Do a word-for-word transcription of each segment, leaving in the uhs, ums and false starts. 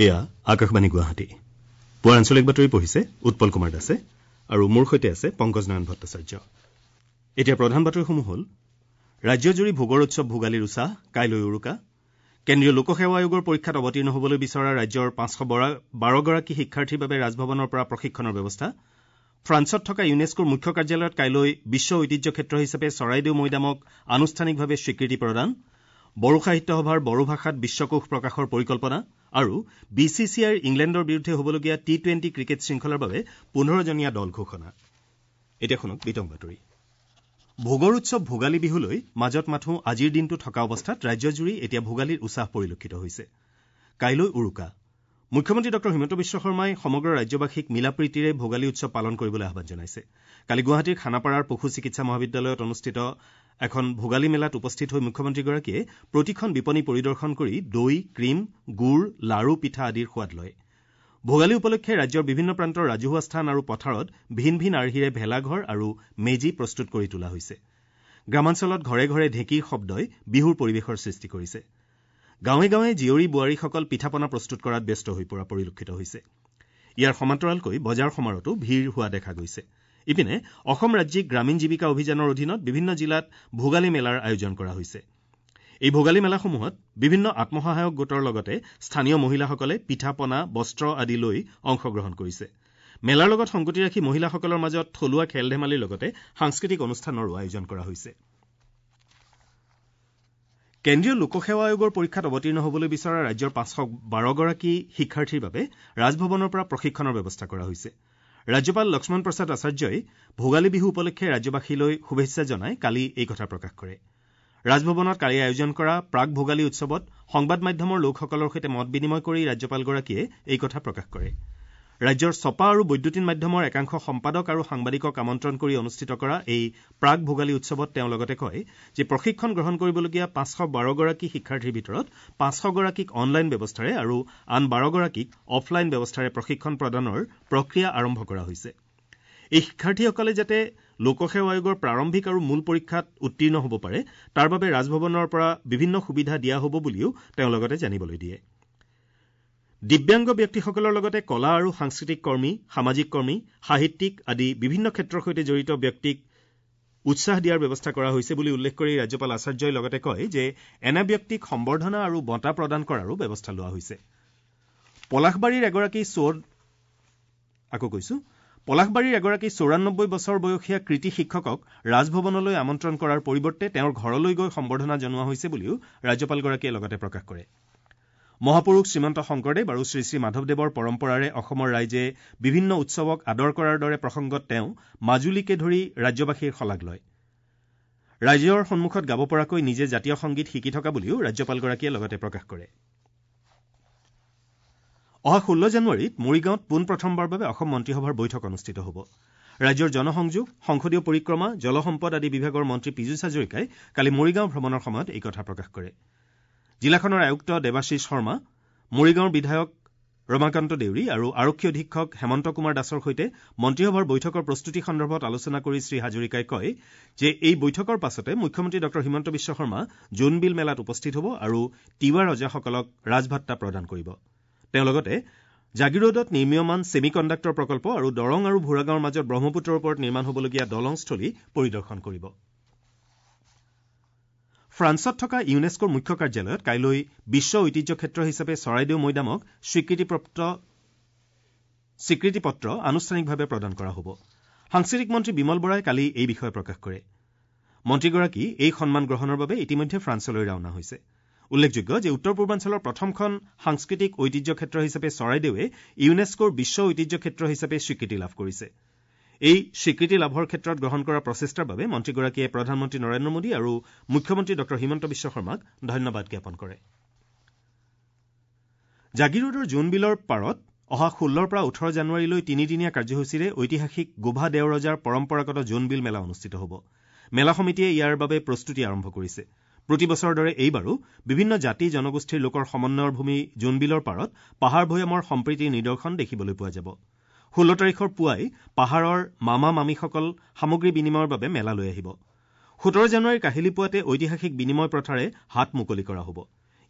এয়া আকাশবাণী গুৱাহাটী। পুৱাৰ আঞ্চলিক বাতৰি পঢ়িছে উৎপল কুমাৰ দাসে আৰু মোৰ সৈতে আছে পংকজ নয়ন ভট্টাচাৰ্য। এতিয়া প্ৰধান বাতৰিসমূহ হ'ল: ৰাজ্যজুৰি ভোগৰ উৎসৱ ভোগালীৰ উছাহ, কাইলৈ উৰুকা। কেন্দ্ৰীয় লোকসেৱা আয়োগৰ পৰীক্ষাত অৱতীৰ্ণ হ'বলৈ বিচৰা ৰাজ্যৰ পাঁচশ বাৰগৰাকী শিক্ষাৰ্থীৰ বাবে ৰাজভৱনৰ পৰা প্ৰশিক্ষণৰ ব্যৱস্থা। ফ্ৰান্সত থকা ইউনেস্কোৰ মুখ্য কাৰ্যালয়ত কাইলৈ বিশ্ব ঐতিহ্য ক্ষেত্ৰ হিচাপে চৰাইদেউ মৈদামক আনুষ্ঠানিকভাৱে স্বীকৃতি প্ৰদান। বড়ো সাহিত্য সভাৰ বড়ো ভাষাত বিশ্বকোষ প্ৰকাশৰ পৰিকল্পনা আৰু বি চি চি আইৰ ইংলেণ্ডৰ বিৰুদ্ধে হ'বলগীয়া টি টুৱেণ্টি ক্ৰিকেট শৃংখলাৰ বাবে পোন্ধৰজনীয়া দল ঘোষণা। এতিয়া শুনক বিতং বাতৰি। ভোগৰ উৎসৱ ভোগালী বিহুলৈ মাজত মাথোঁ আজিৰ দিনটো থকা অৱস্থাত ৰাজ্যজুৰি এতিয়া ভোগালীৰ উছাহ পৰিলক্ষিত হৈছে। কাইলৈ উৰুকা। মুখ্যমন্ত্ৰী ডঃ হিমন্ত বিশ্ব শৰ্মাই সমগ্ৰ ৰাজ্যবাসীক মিলাপ্ৰীতিৰে ভোগালী উৎসৱ পালন কৰিবলৈ আহ্বান জনাইছে। কালি গুৱাহাটীৰ খানাপাৰাৰ পশু চিকিৎসা মহাবিদ্যালয়ত অনুষ্ঠিত এখন ভোগালী মেলাত উপস্থিত হৈ মুখ্যমন্ত্ৰীগৰাকীয়ে প্ৰতিখন বিপণী পৰিদৰ্শন কৰি দৈ, ক্ৰীম, গুৰ, লাৰু, পিঠা আদিৰ সোৱাদ লয়। ভোগালী উপলক্ষে ৰাজ্যৰ বিভিন্ন প্ৰান্তৰ ৰাজহুৱা স্থান আৰু পথাৰত ভিন ভিন আৰ্হিৰে ভেলাঘৰ আৰু মেজি প্ৰস্তুত কৰি তোলা হৈছে। গ্ৰামাঞ্চলত ঘৰে ঘৰে ঢেঁকীৰ শব্দই বিহুৰ পৰিৱেশৰ সৃষ্টি কৰিছে। গাঁৱে গাঁৱে জীয়ৰী বোৱাৰীসকল পিঠা পনা প্ৰস্তুত কৰাত ব্যস্ত হৈ পৰা পৰিলক্ষিত হৈছে। ইয়াৰ সমান্তৰালকৈ বজাৰ সমাৰতো ভিৰ হোৱা দেখা গৈছে। ইপিনে অসম ৰাজ্যিক গ্ৰামীণ জীৱিকা অভিযানৰ অধীনত বিভিন্ন জিলাত ভোগালী মেলাৰ আয়োজন কৰা হৈছে। এই ভোগালী মেলাসমূহত বিভিন্ন আত্মসহায়ক গোটৰ লগতে স্থানীয় মহিলাসকলে পিঠা পনা, বস্ত্ৰ আদি লৈ অংশগ্ৰহণ কৰিছে। মেলাৰ লগত সংগতি ৰাখি মহিলাসকলৰ মাজত থলুৱা খেল ধেমালিৰ লগতে সাংস্কৃতিক অনুষ্ঠানৰো আয়োজন কৰা হৈছে। কেন্দ্ৰীয় লোকসেৱা আয়োগৰ পৰীক্ষাত অৱতীৰ্ণ হ'বলৈ বিচৰা ৰাজ্যৰ পাঁচশ বাৰগৰাকী শিক্ষাৰ্থীৰ বাবে ৰাজভৱনৰ পৰা প্ৰশিক্ষণৰ ব্যৱস্থা কৰা হৈছে। ৰাজ্যপাল লক্ষ্মণ প্ৰসাদ আচাৰ্যই ভোগালী বিহু উপলক্ষে ৰাজ্যবাসীলৈ শুভেচ্ছা জনাই কালি এই কথা প্ৰকাশ কৰে। ৰাজভৱনত কালি আয়োজন কৰা প্ৰাক ভোগালী উৎসৱত সংবাদ মাধ্যমৰ লোকসকলৰ সৈতে মত বিনিময় কৰি ৰাজ্যপালগৰাকীয়ে এই কথা প্ৰকাশ কৰে। ৰাজ্যৰ ছপা আৰু বৈদ্যুতিন মাধ্যমৰ একাংশ সম্পাদক আৰু সাংবাদিকক আমন্ত্ৰণ কৰি অনুষ্ঠিত কৰা এই প্ৰাক ভোগালী উৎসৱত তেওঁ লগতে কয় যে প্ৰশিক্ষণ গ্ৰহণ কৰিবলগীয়া পাঁচশ বাৰগৰাকী শিক্ষাৰ্থীৰ ভিতৰত পাঁচশগৰাকীক অনলাইন ব্যৱস্থাৰে আৰু আন বাৰগৰাকীক অফলাইন ব্যৱস্থাৰে প্ৰশিক্ষণ প্ৰদানৰ প্ৰক্ৰিয়া আৰম্ভ কৰা হৈছে। এই শিক্ষাৰ্থীসকলে যাতে লোকসেৱা আয়োগৰ প্ৰাৰম্ভিক আৰু মূল পৰীক্ষাত উত্তীৰ্ণ হ'ব পাৰে তাৰ বাবে ৰাজভৱনৰ পৰা বিভিন্ন সুবিধা দিয়া হ'ব বুলিও তেওঁ লগতে জানিবলৈ দিয়ে। দিব্যাংগ ব্যক্তিসকলৰ লগতে কলা আৰু সাংস্কৃতিক কৰ্মী, সামাজিক কৰ্মী, সাহিত্যিক আদি বিভিন্ন ক্ষেত্ৰৰ সৈতে জড়িত ব্যক্তিক উৎসাহ দিয়াৰ ব্যৱস্থা কৰা হৈছে বুলি উল্লেখ কৰি ৰাজ্যপাল আচাৰ্যই লগতে কয় যে এনে ব্যক্তিক সম্বৰ্ধনা আৰু বঁটা প্ৰদান কৰাৰো ব্যৱস্থা লোৱা হৈছে। পলাশবাৰীৰ এগৰাকী চোৰ আকৌ কৈছো পলাশবাৰীৰ এগৰাকী চৌৰান্নব্বৈ বছৰ বয়সীয়া কৃতি শিক্ষকক ৰাজভৱনলৈ আমন্ত্ৰণ কৰাৰ পৰিৱৰ্তে তেওঁৰ ঘৰলৈ গৈ সম্বৰ্ধনা জনোৱা হৈছে বুলিও ৰাজ্যপালগৰাকীয়ে লগতে প্ৰকাশ কৰে। মহাপুৰুষ শ্ৰীমন্ত শংকৰদেৱ আৰু শ্ৰী শ্ৰী মাধৱদেৱৰ পৰম্পৰাৰে অসমৰ ৰাইজে বিভিন্ন উৎসৱক আদৰ কৰাৰ দৰে প্ৰসংগত তেওঁ মাজুলীকে ধৰি ৰাজ্যবাসীৰ শলাগ লয়। ৰাইজৰ সন্মুখত গাব পৰাকৈ নিজে জাতীয় সংগীত শিকি থকা বুলিও ৰাজ্যপালগৰাকীয়ে লগতে প্ৰকাশ কৰে। অহা ষোল্ল জানুৱাৰীত মৰিগাঁৱত পোনপ্ৰথমবাৰৰ বাবে অসম মন্ত্ৰীসভাৰ বৈঠক অনুষ্ঠিত হ'ব। ৰাজ্যৰ জনসংযোগ, সংসদীয় পৰিক্ৰমা, জলসম্পদ আদি বিভাগৰ মন্ত্ৰী পীযুষ হাজৰিকাই কালি মৰিগাঁও ভ্ৰমণৰ সময়ত এই কথা প্ৰকাশ কৰে। জিলাখনৰ আয়ুক্ত দেৱাশীষ শৰ্মা, মৰিগাঁৱৰ বিধায়ক ৰমাকান্ত দেউৰী আৰু আৰক্ষী অধীক্ষক হেমন্ত কুমাৰ দাসৰ সৈতে মন্ত্ৰীসভাৰ বৈঠকৰ প্ৰস্তুতি সন্দৰ্ভত আলোচনা কৰি শ্ৰী হাজৰিকাই কয় যে এই বৈঠকৰ পাছতে মুখ্যমন্ত্ৰী ডঃ হিমন্ত বিশ্ব শৰ্মা জোনবিল মেলাত উপস্থিত হ'ব আৰু তিৱা ৰজাসকলক ৰাজভাট্টা প্ৰদান কৰিব। তেওঁ লগতে জাগিৰোডত নিৰ্মীয়মান ছেমি কণ্ডাক্টৰ প্ৰকল্প আৰু দৰং আৰু ভূৰাগাঁৱৰ মাজত ব্ৰহ্মপুত্ৰৰ ওপৰত নিৰ্মাণ হ'বলগীয়া দলংস্থলী পৰিদৰ্শন কৰিব। ফ্ৰান্সত থকা ইউনেস্কোৰ মুখ্য কাৰ্যালয়ত কাইলৈ বিশ্ব ঐতিহ্য ক্ষেত্ৰ হিচাপে চৰাইদেউ মৈদামক স্বীকৃতিপ্ৰাপ্ত স্বীকৃতিপত্ৰ আনুষ্ঠানিকভাৱে প্ৰদান কৰা হ'ব। সাংস্কৃতিক মন্ত্ৰী বিমল বৰাই কালি এই বিষয়ে প্ৰকাশ কৰে। মন্ত্ৰীগৰাকী এই সন্মান গ্ৰহণৰ বাবে ইতিমধ্যে ফ্ৰান্সলৈ ৰাওনা হৈছে। উল্লেখযোগ্য যে উত্তৰ পূৰ্বাঞ্চলৰ প্ৰথমখন সাংস্কৃতিক ঐতিহ্য ক্ষেত্ৰ হিচাপে চৰাইদেৱে ইউনেস্কোৰ বিশ্ব ঐতিহ্য ক্ষেত্ৰ হিচাপে স্বীকৃতি লাভ কৰিছে। এই স্বীকৃতি লাভৰ ক্ষেত্ৰত গ্ৰহণ কৰা প্ৰচেষ্টাৰ বাবে মন্ত্ৰীগৰাকীয়ে প্ৰধানমন্ত্ৰী নৰেন্দ্ৰ মোদী আৰু মুখ্যমন্ত্ৰী ডঃ হিমন্ত বিশ্ব শৰ্মাক ধন্যবাদ জ্ঞাপন কৰে। জাগিৰোডৰ জোনবিলৰ পাৰত অহা ষোল্লৰ পৰা ওঠৰ জানুৱাৰীলৈ তিনিদিনীয়া কাৰ্যসূচীৰে ঐতিহাসিক গোভা দেওৰজাৰ পৰম্পৰাগত জোনবিল মেলা অনুষ্ঠিত হ'ব। মেলা সমিতিয়ে ইয়াৰ বাবে প্ৰস্তুতি আৰম্ভ কৰিছে। প্ৰতি বছৰৰ দৰে এইবাৰো বিভিন্ন জাতি জনগোষ্ঠীৰ লোকৰ সমন্বয়ৰ ভূমি জোনবিলৰ পাৰত পাহাৰ ভৈয়ামৰ সম্প্ৰীতিৰ নিদৰ্শন দেখিবলৈ পোৱা যাব। ষোল্ল তাৰিখৰ পুৱাই পাহাৰৰ মামা মামীসকল সামগ্ৰী বিনিময়ৰ বাবে মেলালৈ আহিব। সোতৰ জানুৱাৰীৰ কাহিলী পুৱাতে ঐতিহাসিক বিনিময় প্ৰথাৰে হাত মুকলি কৰা হ'ব।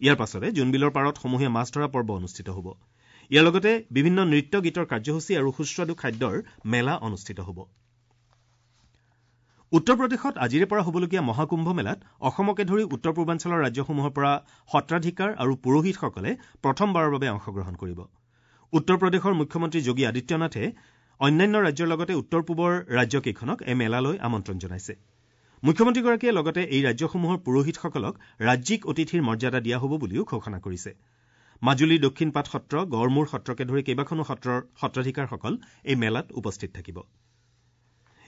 ইয়াৰ পাছতে জোনবিলৰ পাৰত সমূহীয়া মাছ ধৰা পৰ্ব অনুষ্ঠিত হ'ব। ইয়াৰ লগতে বিভিন্ন নৃত্য গীতৰ কাৰ্যসূচী আৰু সুস্বাদু খাদ্যৰ মেলা অনুষ্ঠিত হ'ব। উত্তৰ প্ৰদেশত আজিৰে পৰা হ'বলগীয়া মহাকুম্ভ মেলাত অসমকে ধৰি উত্তৰ পূৰ্বাঞ্চলৰ ৰাজ্যসমূহৰ পৰা সত্ৰাধিকাৰ আৰু পুৰোহিতসকলে প্ৰথমবাৰৰ বাবে অংশগ্ৰহণ কৰিব। উত্তৰ প্ৰদেশৰ মুখ্যমন্ত্ৰী যোগী আদিত্যনাথে অন্যান্য ৰাজ্যৰ লগতে উত্তৰ পূবৰ ৰাজ্যকেইখনক এই মেলালৈ আমন্ত্ৰণ জনাইছে। মুখ্যমন্ত্ৰীগৰাকীয়ে লগতে এই ৰাজ্যসমূহৰ পুৰোহিতসকলক ৰাজ্যিক অতিথিৰ মৰ্যাদা দিয়া হ'ব বুলিও ঘোষণা কৰিছে। মাজুলীৰ দক্ষিণপাট সত্ৰ, গড়মূৰ সত্ৰকে ধৰি কেইবাখনো সত্ৰৰ সত্ৰাধিকাৰসকল এই মেলাত উপস্থিত থাকিব।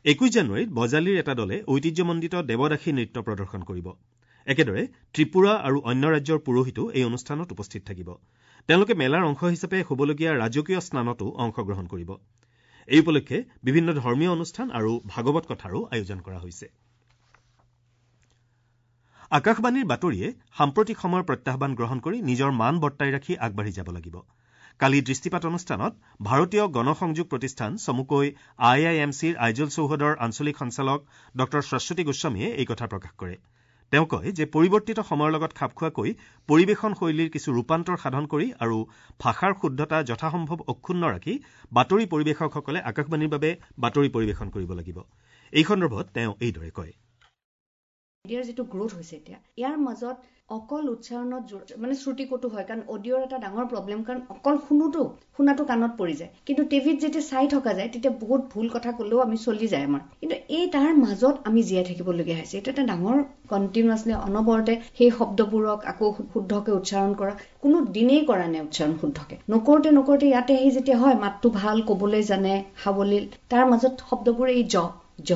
একৈশ জানুৱাৰীত বজালীৰ এটা দলে ঐতিহ্যমণ্ডিত দেৱদাসী নৃত্য প্ৰদৰ্শন কৰিব। একেদৰে ত্ৰিপুৰা আৰু অন্য ৰাজ্যৰ পুৰোহিতো এই অনুষ্ঠানত উপস্থিত থাকিব। তেওঁলোকে মেলাৰ অংশ হিচাপে হ'বলগীয়া ৰাজকীয় স্নানতো অংশগ্ৰহণ কৰিব। এই উপলক্ষে বিভিন্ন ধৰ্মীয় অনুষ্ঠান আৰু ভাগৱত কথাৰো আয়োজন কৰা হৈছে। আকাশবাণীৰ বাতৰিয়ে সাম্প্ৰতিক সময়ৰ প্ৰত্যাহ্বান গ্ৰহণ কৰি নিজৰ মান বৰ্তাই ৰাখি আগবাঢ়ি যাব লাগিব। কালি দৃষ্টিপাত অনুষ্ঠানত ভাৰতীয় গণসংযোগ প্ৰতিষ্ঠান চমুকৈ আই I am চিৰ আইজল চৌহদৰ আঞ্চলিক সঞ্চালক ডঃ শাশ্বতী গোস্বামীয়ে এই কথা প্ৰকাশ কৰে। তেওঁ কয় যে পৰিৱৰ্তিত সময়ৰ লগত খাপ খোৱাকৈ পৰিৱেশন শৈলীৰ কিছু ৰূপান্তৰ সাধন কৰি আৰু ভাষাৰ শুদ্ধতা যথাসম্ভৱ অক্ষুণ্ণ ৰাখি বাতৰি পৰিৱেশকসকলে আকাশবাণীৰ বাবে বাতৰি পৰিৱেশন কৰিব লাগিব। এই সন্দৰ্ভত তেওঁ এইদৰে কয়, মিডিয়াৰ যিটো গ্ৰোথ হৈছে এতিয়া, ইয়াৰ মাজত অকল উচ্চাৰণত মানে শ্ৰুতিকটু হয়, কাৰণ অডিঅ'ৰ এটা ডাঙৰ প্ৰব্লেম, কাৰণ অকল শুনোতো শুনাটো কাণত পৰি যায়, কিন্তু টিভিত যেতিয়া চাই থকা যায় তেতিয়া বহুত ভুল কথা ক'লেও আমি চলি যায় আমাৰ, কিন্তু এই তাৰ মাজত আমি জীয়াই থাকিবলগীয়া হৈছে। এইটো এটা ডাঙৰ কণ্টিনিউৱাছলি অনবৰতে সেই শব্দবোৰক আকৌ শুদ্ধকে উচ্চাৰণ কৰা, কোনো দিনেই কৰা নাই উচ্চাৰণ শুদ্ধকে, নকৰোঁতে নকৰোঁতে ইয়াতে আহি যেতিয়া হয় মাতটো ভাল ক'বলৈ জানে সাৱলীল, তাৰ মাজত শব্দবোৰ এই জ জ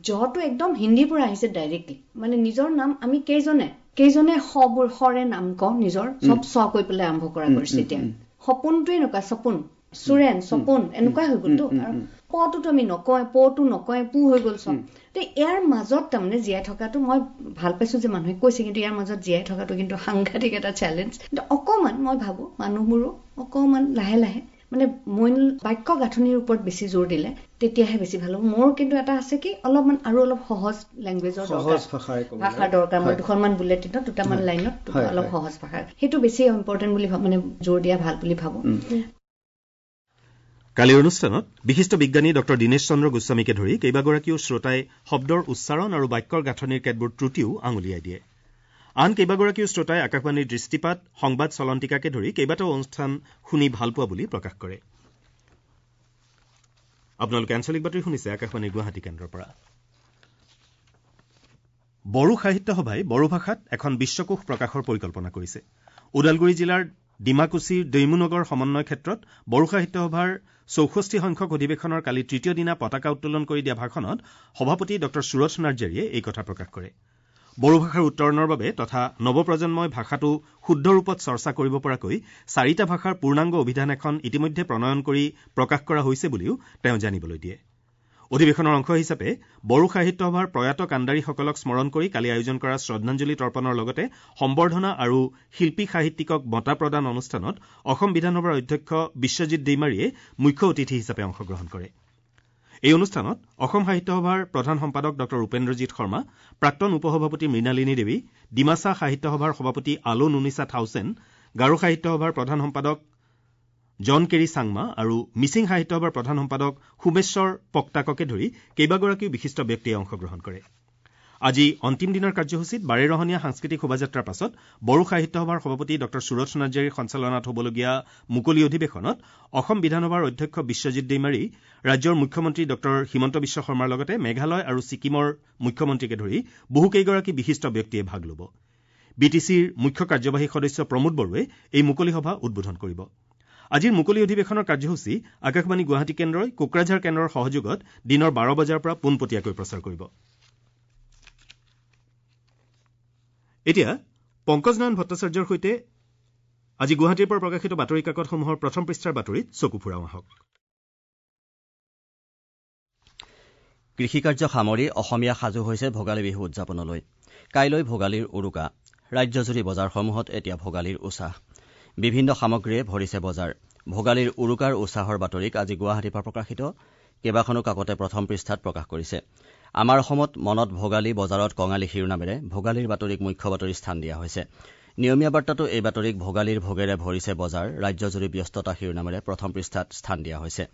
জটো একদম হিন্দীৰ পৰা আহিছে ডাইৰেক্টলি, মানে নিজৰ নাম আমি কেইজনে কেইজনে সবোৰ সৰে নাম কওঁ, নিজৰ চব স কৈ পেলাই আৰম্ভ কৰা কৰিছে। এতিয়া সপোনটোৱে এনেকুৱা, সপোন চুৰেন সপোন এনেকুৱা হৈ গ'লতো, আৰু পটোতো আমি নকওঁ, পটো নকওঁ, পু হৈ গ'ল চব। ইয়াৰ মাজত তাৰমানে জীয়াই থকাটো মই ভাল পাইছো যে মানুহে কৈছে, কিন্তু ইয়াৰ মাজত জীয়াই থকাটো কিন্তু সাংঘাতিক এটা চেলেঞ্জ। কিন্তু অকণমান মই ভাবো মানুহবোৰো অকণমান লাহে লাহে মানে মূল বাক্য গাঁথনিৰ ওপৰত বেছি জোৰ দিলে তেতিয়াহে বেছি ভাল হ'ব। মোৰ কিন্তু এটা আছে কি অলপমান আৰু অলপ সহজ লেংগুৱেজৰ ভাষাৰ দৰকাৰ। মই দুখনমান বুলেটিনত দুটামান লাইনত অলপ সহজ ভাষা, সেইটো বেছি ইম্পৰ্টেণ্ট বুলি মানে জোৰ দিয়া ভাল বুলি ভাবো। কালিৰ অনুষ্ঠানত বিশিষ্ট বিজ্ঞানী ডঃ দীনেশ চন্দ্ৰ গোস্বামীকে ধৰি কেইবাগৰাকীও শ্ৰোতাই শব্দৰ উচ্চাৰণ আৰু বাক্যৰ গাঁথনিৰ কেতবোৰ ত্ৰুটিও আঙুলিয়াই দিয়ে। আন কেইবাগৰাকীও শ্ৰোতাই আকাশবাণীৰ দৃষ্টিপাত, সংবাদ চলন্তিকাকে ধৰি কেইবাটাও অনুষ্ঠান শুনি ভাল পোৱা বুলি প্ৰকাশ কৰে। আপোনালোকে আঞ্চলিক বাতৰি শুনিছে আকাশবাণীৰ গুৱাহাটী কেন্দ্ৰৰ পৰা। বড়ো সাহিত্য সভাই বড়ো ভাষাত এখন বিশ্বকোষ প্ৰকাশৰ পৰিকল্পনা কৰিছে। ওদালগুৰি জিলাৰ ডিমাকুছিৰ দৈমুনগৰ সমন্বয় ক্ষেত্ৰত বড়ো সাহিত্য সভাৰ চৌষষ্ঠি সংখ্যক অধিৱেশনৰ কালি তৃতীয় দিনা পতাকা উত্তোলন কৰি দিয়া ভাষণত সভাপতি ডঃ সুৰথ নাৰ্জাৰীয়ে এই কথা প্ৰকাশ কৰে। বড়ো ভাষাৰ উত্তৰণৰ বাবে তথা নৱপ্ৰজন্মই ভাষাটো শুদ্ধ ৰূপত চৰ্চা কৰিব পৰাকৈ চাৰিটা ভাষাৰ পূৰ্ণাংগ অভিধান এখন ইতিমধ্যে প্ৰণয়ন কৰি প্ৰকাশ কৰা হৈছে বুলিও তেওঁ জানিবলৈ দিয়ে। অধিৱেশনৰ অংশ হিচাপে বড়ো সাহিত্য সভাৰ প্ৰয়াত কাণ্ডাৰীসকলক স্মৰণ কৰি কালি আয়োজন কৰা শ্ৰদ্ধাঞ্জলি তৰ্পণৰ লগতে সম্বৰ্ধনা আৰু শিল্পী সাহিত্যিকক বঁটা প্ৰদান অনুষ্ঠানত অসম বিধানসভাৰ অধ্যক্ষ বিশ্বজিৎ দৈমাৰীয়ে মুখ্য অতিথি হিচাপে অংশগ্ৰহণ কৰে। এই অনুষ্ঠানত অসম সাহিত্য সভাৰ প্ৰধান সম্পাদক ডঃ উপেন্দ্ৰজিৎ শৰ্মা, প্ৰাক্তন উপসভাপতি মৃণালিনী দেৱী, ডিমাছা সাহিত্য সভাৰ সভাপতি আলো নুনিছা থাউচেন, গাৰো সাহিত্য সভাৰ প্ৰধান সম্পাদক জন কেৰি চাংমা আৰু মিচিং সাহিত্য সভাৰ প্ৰধান সম্পাদক সোমেশ্বৰ পক্তাককে ধৰি কেইবাগৰাকীও বিশিষ্ট ব্যক্তিয়ে অংশগ্ৰহণ কৰে। আজি অন্তিম দিনাৰ কাৰ্যসূচীত বাৰেৰহণীয়া সাংস্কৃতিক শোভাযাত্ৰাৰ পাছত বড়ো সাহিত্য সভাৰ সভাপতি ডঃ সুৰথ নাৰ্জাৰীৰ সঞ্চালনাত হ'বলগীয়া মুকলি অধিৱেশনত অসম বিধানসভাৰ অধ্যক্ষ বিশ্বজিৎ দৈমাৰী, ৰাজ্যৰ মুখ্যমন্ত্ৰী ডঃ হিমন্ত বিশ্ব শৰ্মাৰ লগতে মেঘালয় আৰু ছিকিমৰ মুখ্যমন্ত্ৰীকে ধৰি বহুকেইগৰাকী বিশিষ্ট ব্যক্তিয়ে ভাগ ল'ব। বি টি চিৰ মুখ্য কাৰ্যবাহী সদস্য প্ৰমোদ বড়োৱে এই মুকলি সভা উদ্বোধন কৰিব। আজিৰ মুকলি অধিৱেশনৰ কাৰ্যসূচী আকাশবাণী গুৱাহাটী কেন্দ্ৰই কোকৰাঝাৰ কেন্দ্ৰৰ সহযোগত দিনৰ বাৰ বজাৰ পৰা পোনপটীয়াকৈ প্ৰচাৰ কৰিব। এতিয়া পংকজ নয়ন ভট্টাচাৰ্যৰ সৈতে আজি গুৱাহাটীৰ পৰা প্ৰকাশিত বাতৰি কাকতসমূহৰ প্ৰথম পৃষ্ঠাৰ বাতৰিত চকু ফুৰাওঁ আহক। কৃষিকাৰ্য সামৰি অসমীয়া সাজু হৈছে ভোগালী বিহু উদযাপনলৈ। কাইলৈ ভোগালীৰ উৰুকা। ৰাজ্যজুৰি বজাৰসমূহত এতিয়া ভোগালীৰ উছাহ। বিভিন্ন সামগ্ৰীয়ে ভৰিছে বজাৰ। ভোগালীৰ উৰুকাৰ উছাহৰ বাতৰিক আজি গুৱাহাটীৰ পৰা প্ৰকাশিত কেইবাখনো কাকতে প্ৰথম পৃষ্ঠাত প্ৰকাশ কৰিছে। আমাৰ অসমত মনত ভোগালী, বজাৰত কঙালী শিৰোনামেৰে ভোগালীৰ বাতৰিক মুখ্য বাতৰি স্থান দিয়া হৈছে। নিয়মীয়া বাৰ্তাটো এই বাতৰিক ভোগালীৰ ভোগেৰে ভৰিছে বজাৰ, ৰাজ্যজুৰি ব্যস্ততা শিৰোনামেৰে প্ৰথম পৃষ্ঠাত স্থান দিয়া হৈছে।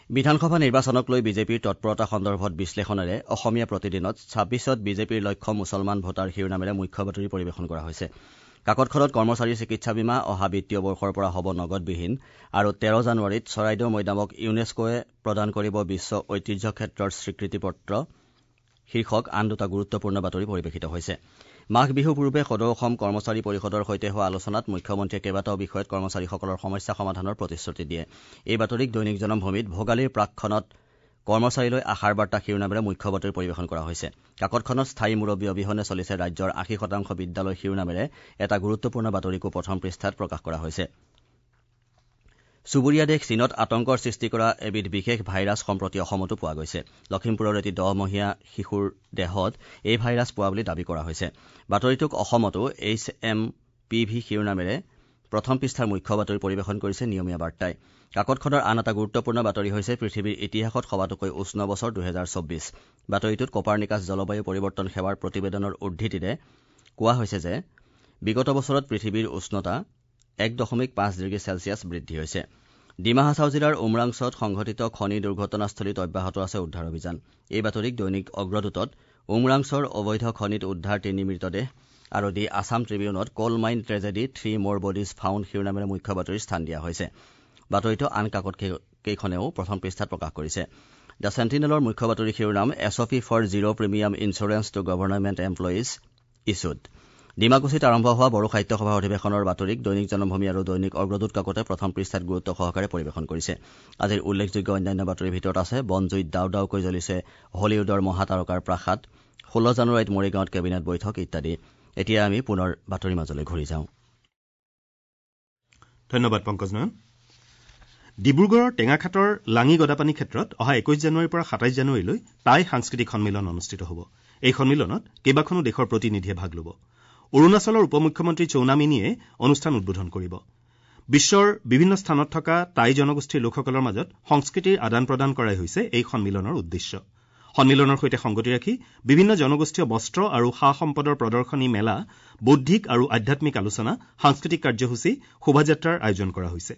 বিধানসভা নিৰ্বাচনক লৈ বিজেপিৰ তৎপৰতা সন্দৰ্ভত বিশ্লেষণেৰে অসমীয়া প্ৰতিদিনত ছাব্বিছত বিজেপিৰ লক্ষ্য মুছলমান ভোটাৰ শিৰোনামেৰে মুখ্য বাতৰি পৰিৱেশন কৰা হৈছে। কাকতখনত কৰ্মচাৰীৰ চিকিৎসা বীমা অহা বিত্তীয় বৰ্ষৰ পৰা হ'ব নগদবিহীন আৰু তেৰ জানুৱাৰীত চৰাইদেউ মৈদামক ইউনেস্কোৱে প্ৰদান কৰিব বিশ্ব ঐতিহ্য ক্ষেত্ৰৰ স্বীকৃতিপত্ৰ শীৰ্ষক আন দুটা গুৰুত্বপূৰ্ণ বাতৰি পৰিৱেশিত হৈছে। মাঘ বিহুৰ পূৰ্বে সদৌ অসম কৰ্মচাৰী পৰিষদৰ সৈতে হোৱা আলোচনাত মুখ্যমন্ত্ৰীয়ে কেইবাটাও বিষয়ত কৰ্মচাৰীসকলৰ সমস্যা সমাধানৰ প্ৰতিশ্ৰুতি দিয়ে। এই বাতৰিক দৈনিক জনমভূমিত ভোগালীৰ প্ৰাকক্ষণত কৰ্মচাৰীলৈ আশাৰ বাৰ্তা শিৰোনামেৰে মুখ্য বাতৰি পৰিৱেশন কৰা হৈছে। কাকতখনত স্থায়ী মুৰব্বী অবিহনে চলিছে ৰাজ্যৰ আশী শতাংশ বিদ্যালয় শিৰোনামেৰে এটা গুৰুত্বপূৰ্ণ বাতৰিকো প্ৰথম পৃষ্ঠাত প্ৰকাশ কৰা হৈছে। চুবুৰীয়া দেশ চীনত আতংকৰ সৃষ্টি কৰা এবিধ বিশেষ ভাইৰাছ সম্প্ৰতি অসমতো পোৱা গৈছে। লখিমপুৰৰ এটি দহমহীয়া শিশুৰ দেহত এই ভাইৰাছ পোৱা বুলি দাবী কৰা হৈছে। বাতৰিটোক অসমতো এইচ এম পি ভি শিৰোনামেৰে প্ৰথম পৃষ্ঠাৰ মুখ্য বাতৰি পৰিৱেশন কৰিছে নিয়মীয়া বাৰ্তাই। কাকতখনৰ আন এটা গুৰুত্বপূৰ্ণ বাতৰি হৈছে পৃথিৱীৰ ইতিহাসত সবাতোকৈ উষ্ণ বছৰ দুহেজাৰ চৌব্বিছ। বাতৰিটোত কপাৰনিকাছ জলবায়ু পৰিৱৰ্তন সেৱাৰ প্ৰতিবেদনৰ উদ্ধৃতিৰে কোৱা হৈছে যে বিগত বছৰত পৃথিৱীৰ উষ্ণতা এক দশমিক পাঁচ ডিগ্ৰী চেলছিয়াছ বৃদ্ধি হৈছে। ডিমা হাছাও জিলাৰ উমৰাংছত সংঘটিত খনি দুৰ্ঘটনাস্থলীত অব্যাহত আছে উদ্ধাৰ অভিযান। এই বাতৰিক দৈনিক অগ্ৰদূতত উমৰাংছৰ অবৈধ খনিত উদ্ধাৰ তিনি মৃতদেহ আৰু দি Assam ট্ৰিবিউনত coal mine tragedy three more bodies found শিৰোনামেৰে মুখ্য বাতৰিৰ স্থান দিয়া হৈছে। বাতৰিটো আন কাকত কেইখনেও প্ৰথম পৃষ্ঠাত প্ৰকাশ কৰিছে। The চেণ্টিনেলৰ মুখ্য বাতৰি শিৰোনাম S O P for zero premium insurance to government employees issued. ডিমাকুছিত আৰম্ভ হোৱা বড়ো সাহিত্য সভাৰ অধিৱেশনৰ বাতৰিক দৈনিক জনমভূমি আৰু দৈনিক অগ্ৰদূত কাকতে প্ৰথম পৃষ্ঠাত গুৰুত্ব সহকাৰে পৰিৱেশন কৰিছে। আজিৰ উল্লেখযোগ্য অন্যান্য বাতৰিৰ ভিতৰত আছে বনজুইত দাও দাওকৈ জ্বলিছে হলিউডৰ মহাতাৰকাৰ প্ৰাসাদ, ষোল্ল জানুৱাৰীত মৰিগাঁৱত কেবিনেট বৈঠক ইত্যাদি। এতিয়া আমি পুনৰ বাতৰিৰ মাজলৈ ঘূৰি যাওঁ। ধন্যবাদ পংকজ নয়ন। ডিব্ৰুগড়ৰ টেঙাখাটৰ লাঙি গদাপানী ক্ষেত্ৰত অহা একৈশ জানুৱাৰীৰ পৰা সাতাইছ জানুৱাৰীলৈ টাই সাংস্কৃতিক সন্মিলন অনুষ্ঠিত হ'ব। এই সন্মিলনত কেইবাখনো দেশৰ প্ৰতিনিধিয়ে ভাগ ল'ব। অৰুণাচলৰ উপ মুখ্যমন্ত্ৰী চৌনা মিনিয়ে অনুষ্ঠান উদ্বোধন কৰিব। বিশ্বৰ বিভিন্ন স্থানত থকা টাই জনগোষ্ঠীৰ লোকসকলৰ মাজত সংস্কৃতিৰ আদান প্ৰদান কৰাই হৈছে এই সন্মিলনৰ উদ্দেশ্য। সন্মিলনৰ সৈতে সংগতি ৰাখি বিভিন্ন জনগোষ্ঠীয় বস্ত্ৰ আৰু সা সম্পদৰ প্ৰদৰ্শনী মেলা, বৌদ্ধিক আৰু আধ্যাত্মিক আলোচনা, সাংস্কৃতিক কাৰ্যসূচী, শোভাযাত্ৰাৰ আয়োজন কৰা হৈছে।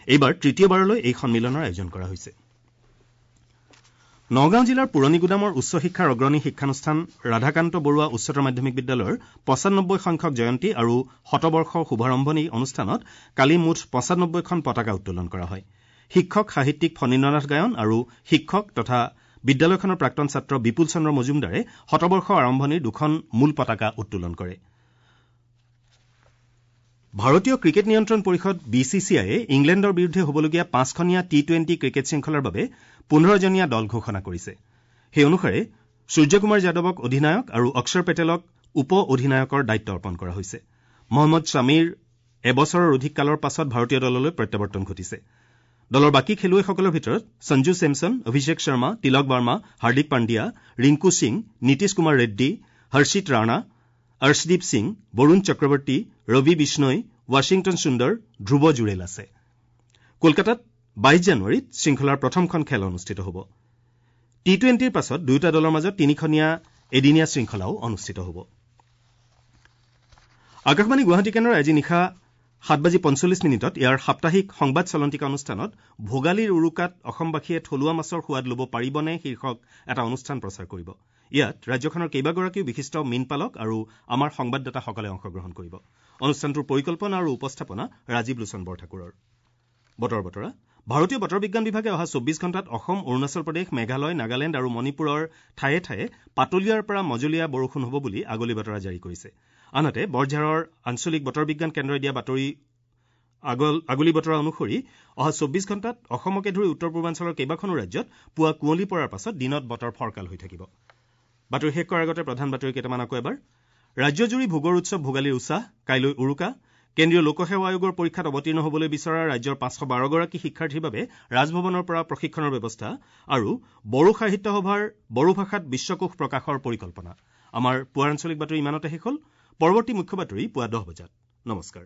এইবাৰ তৃতীয়বাৰলৈ এই সন্মিলনৰ আয়োজন কৰা হৈছে। নগাঁও জিলাৰ পুৰণিগুদামৰ উচ্চ শিক্ষাৰ অগ্ৰণী শিক্ষানুষ্ঠান ৰাধাকান্ত বৰুৱা উচ্চতৰ মাধ্যমিক বিদ্যালয়ৰ পঁচানব্বৈ সংখ্যক জয়ন্তী আৰু শতবৰ্ষৰ শুভাৰম্ভণি অনুষ্ঠানত কালি মুঠ পঁচানব্বৈখন পতাকা উত্তোলন কৰা হয়। শিক্ষক সাহিত্যিক ফণীন্দ্ৰনাথ গায়ন আৰু শিক্ষক তথা বিদ্যালয়খনৰ প্ৰাক্তন ছাত্ৰ বিপুল চন্দ্ৰ মজুমদাৰে শতবৰ্ষ আৰম্ভণিৰ দুখন মূল পতাকা উত্তোলন কৰে। ভাৰতীয় ক্ৰিকেট নিয়ন্ত্ৰণ পৰিষদ বি চি চি আইয়ে ইংলেণ্ডৰ বিৰুদ্ধে হ'বলগীয়া পাঁচখনীয়া টি টুৱেণ্টি ক্ৰিকেট শৃংখলাৰ বাবে পোন্ধৰজনীয়া দল ঘোষণা কৰিছে। সেই অনুসাৰে সূৰ্যকুমাৰ যাদৱক অধিনায়ক আৰু অক্ষৰ পেটেলক উপ অধিনায়কৰ দায়িত্ব অৰ্পণ কৰা হৈছে। মহম্মদ শ্বামীৰ এবছৰৰ অধিক কালৰ পাছত ভাৰতীয় দললৈ প্ৰত্যাৱৰ্তন ঘটিছে। দলৰ বাকী খেলুৱৈসকলৰ ভিতৰত সঞ্জু চেমছন, অভিষেক শৰ্মা, তিলক বাৰ্মা, হাৰ্দিক পাণ্ডিয়া, ৰিংকু সিং, নীতিশ কুমাৰ ৰেড্ডী, হৰ্ষিত ৰাণা, অৰ্শদীপ সিং, বৰুণ চক্ৰৱৰ্তী, ৰবি বিষ্ণৈ, ৱাশ্বিংটন সুন্দৰ, ধ্ৰুৱ জুৰেল আছে। কলকাতাত বাইশ জানুৱাৰীত শৃংখলাৰ প্ৰথমখন খেল অনুষ্ঠিত হ'ব। টি টুৱেণ্টিৰ পাছত দুয়োটা দলৰ মাজত তিনিখনীয়া এদিনীয়া শৃংখলাও অনুষ্ঠিত হ'ব। আকাশবাণী গুৱাহাটী কেন্দ্ৰই আজি নিশা সাত বাজি পঞ্চল্লিছ মিনিটত ইয়াৰ সাপ্তাহিক সংবাদ চলন্তিকা অনুষ্ঠানত ভোগালীৰ উৰুকাত অসমবাসীয়ে থলুৱা মাছৰ সোৱাদ ল'ব পাৰিবনে শীৰ্ষক এটা অনুষ্ঠান প্ৰচাৰ কৰিব। ইয়াত ৰাজ্যখনৰ কেইবাগৰাকীও বিশিষ্ট মীনপালক আৰু আমাৰ সংবাদদাতাসকলে অংশগ্ৰহণ কৰিব। অনুষ্ঠানটোৰ পৰিকল্পনা আৰু উপস্থাপনা ৰাজীৱ লোচন বৰঠাকুৰৰ। বতৰ বতৰা ভাৰতীয় বতৰ বিজ্ঞান বিভাগে অহা চৌব্বিছ ঘণ্টাত অসম, অৰুণাচল প্ৰদেশ, মেঘালয়, নাগালেণ্ড আৰু মণিপুৰৰ ঠায়ে ঠায়ে পাতলীয়াৰ পৰা মজলীয়া বৰষুণ হ'ব বুলি আগলি বতৰা জাৰি কৰিছে। আনহাতে বৰঝাৰৰ আঞ্চলিক বতৰ বিজ্ঞান কেন্দ্ৰই দিয়া বাতৰি আগলি বতৰা অনুসৰি অহা চৌব্বিছ ঘণ্টাত অসমকে ধৰি উত্তৰ পূৰ্বাঞ্চলৰ কেইবাখনো ৰাজ্যত পুৱা কুঁৱলী পৰাৰ পাছত দিনত বতৰ ফৰকাল হৈ থাকিব। বাতৰি শেষ কৰাৰ আগতে প্ৰধান বাতৰি কেইটামান আকৌ এবাৰ। ৰাজ্যজুৰি ভোগৰ উৎসৱ ভোগালীৰ উৎসাহ, কাইলৈ উৰুকা। কেন্দ্ৰীয় লোকসেৱা আয়োগৰ পৰীক্ষাত অৱতীৰ্ণ হ'বলৈ বিচৰা ৰাজ্যৰ পাঁচশ বাৰগৰাকী শিক্ষাৰ্থীৰ বাবে ৰাজভৱনৰ পৰা প্ৰশিক্ষণৰ ব্যৱস্থা আৰু বড়ো সাহিত্য সভাৰ বড়ো ভাষাত বিশ্বকোষ প্ৰকাশৰ পৰিকল্পনা। আমাৰ পুৱাৰ আঞ্চলিক বাতৰি ইমানতে শেষ হ'ল। পৰৱৰ্তী মুখ্য বাতৰি পুৱা দহ বজাত। নমস্কাৰ।